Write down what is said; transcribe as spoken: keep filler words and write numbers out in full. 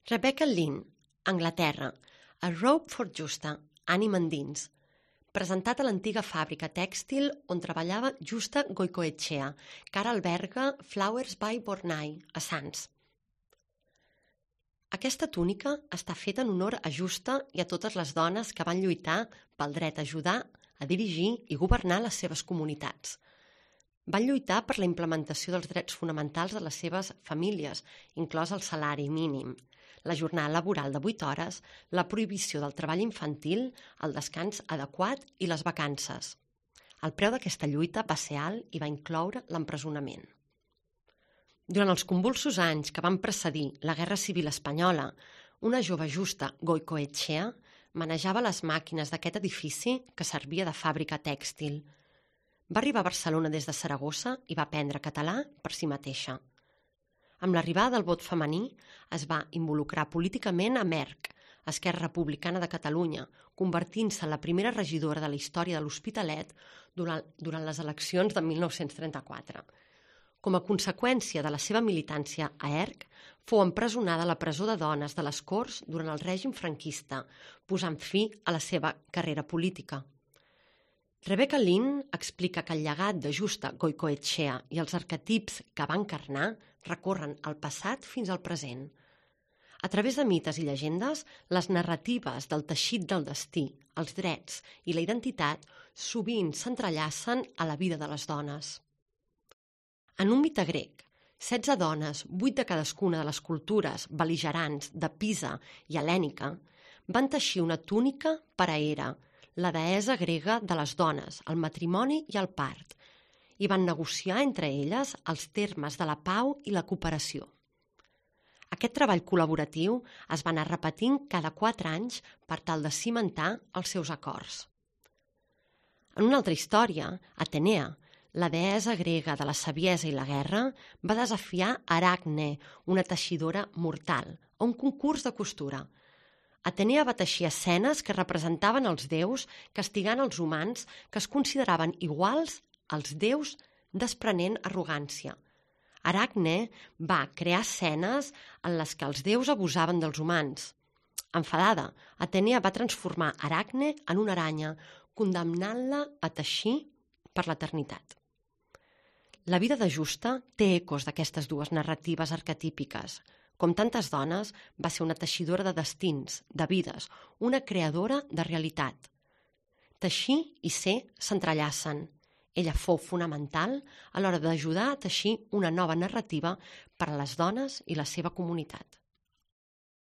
Rebecca Lynn, Anglaterra, A Rope for Justa, ànima endins. Presentat a l'antiga fàbrica tèxtil on treballava Justa Goicoechea, que ara alberga Flowers by Bornai, a Sants. Aquesta túnica està feta en honor a Justa i a totes les dones que van lluitar pel dret a ajudar, a dirigir i governar les seves comunitats. Van lluitar per la implementació dels drets fonamentals de les seves famílies, inclòs el salari mínim, la jornada laboral de vuit hores, la prohibició del treball infantil, el descans adequat i les vacances. El preu d'aquesta lluita va ser alt i va incloure l'empresonament. Durant els convulsos anys que van precedir la Guerra Civil Espanyola, una jove Justa Goicoechea manejava les màquines d'aquest edifici que servia de fàbrica tèxtil. Va arribar a Barcelona des de Saragossa i va aprendre català per si mateixa. Amb l'arribada del vot femení es va involucrar políticament a Merck, Esquerra Republicana de Catalunya, convertint-se en la primera regidora de la història de l'Hospitalet durant, durant les eleccions de mil nou-cents trenta-quatre. Com a conseqüència de la seva militància a E R C, fou empresonada a la presó de dones de les Corts durant el règim franquista, posant fi a la seva carrera política. Rebecca Lynn explica que el llegat de Justa Goicoechea i els arquetips que va encarnar recorren al passat fins al present. A través de mites i llegendes, les narratives del teixit del destí, els drets i la identitat sovint s'entrellacen a la vida de les dones. En un mite grec, setze dones, vuit de cadascuna de les cultures bel·ligerants de Pisa i Hel·lènica, van teixir una túnica per a Hera, la deessa grega de les dones, el matrimoni i el part, i van negociar entre elles els termes de la pau i la cooperació. Aquest treball col·laboratiu es va anar repetint cada quatre anys per tal de cimentar els seus acords. En una altra història, Atenea, la deessa grega de la saviesa i la guerra, va desafiar Aracne, una teixidora mortal, a un concurs de costura. Atenea va teixir escenes que representaven els déus castigant els humans que es consideraven iguals als déus desprenent arrogància. Aracne va crear escenes en les que els déus abusaven dels humans. Enfadada, Atenea va transformar Aracne en una aranya, condemnant-la a teixir per l'eternitat. La vida de Justa té ecos d'aquestes dues narratives arquetípiques. Com tantes dones, va ser una teixidora de destins, de vides, una creadora de realitat. Teixir i ser s'entrellacen. Ella fou fonamental a l'hora d'ajudar a teixir una nova narrativa per a les dones i la seva comunitat.